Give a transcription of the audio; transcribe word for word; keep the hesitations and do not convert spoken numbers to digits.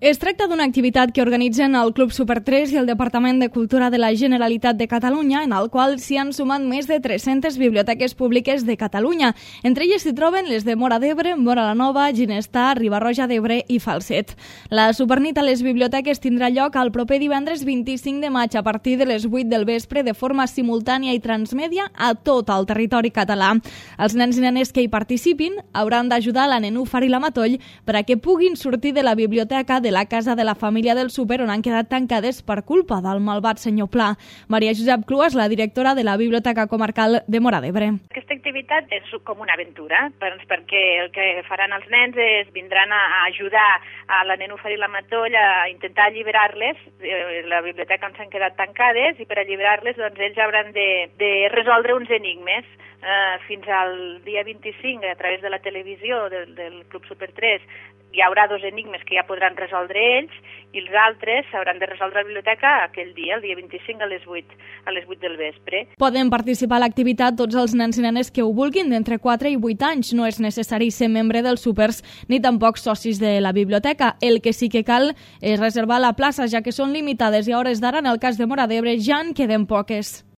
Es tracta d'una activitat que organitzen el Club Super tres i el Departament de Cultura de la Generalitat de Catalunya, en el qual s'hi han sumat més de tres-centes biblioteques públiques de Catalunya. Entre elles s'hi troben les de Móra d'Ebre, Móra la Nova, Ginestar, Riba-roja d'Ebre i Falset. La Supernit a les biblioteques tindrà lloc el proper divendres vint-i-cinc de maig a partir de les vuit del vespre de forma simultània i transmèdia a tot el territori català. Els nens i nenes que hi participin hauran d'ajudar la Nenúfar i la Matoll per a que puguin sortir de la biblioteca de la casa de la família del súper on han quedat tancades per culpa del malvat senyor Pla. Maria Josep Cluas, la directora de la Biblioteca Comarcal de Móra d'Ebre. Aquesta activitat és com una aventura, perquè el que faran els nens és vindran a ajudar a la Nenúfar i la Matoll a intentar alliberar-les, la biblioteca on s'han quedat tancades, i per alliberar-les doncs, ells hauran de, de resoldre uns enigmes. Uh, fins al dia vint-i-cinc, a través de la televisió del, del Club Super tres, hi haurà dos enigmes que ja podran resoldre ells i els altres s'hauran de resoldre a la biblioteca aquell dia, el dia vint-i-cinc a les vuit, a les vuit del vespre. Poden participar a l'activitat tots els nens i nenes que ho vulguin d'entre quatre i vuit anys. No és necessari ser membre dels súpers ni tampoc socis de la biblioteca. El que sí que cal és reservar la plaça, ja que són limitades i a hores d'ara, en el cas de Móra d'Ebre, ja en queden poques.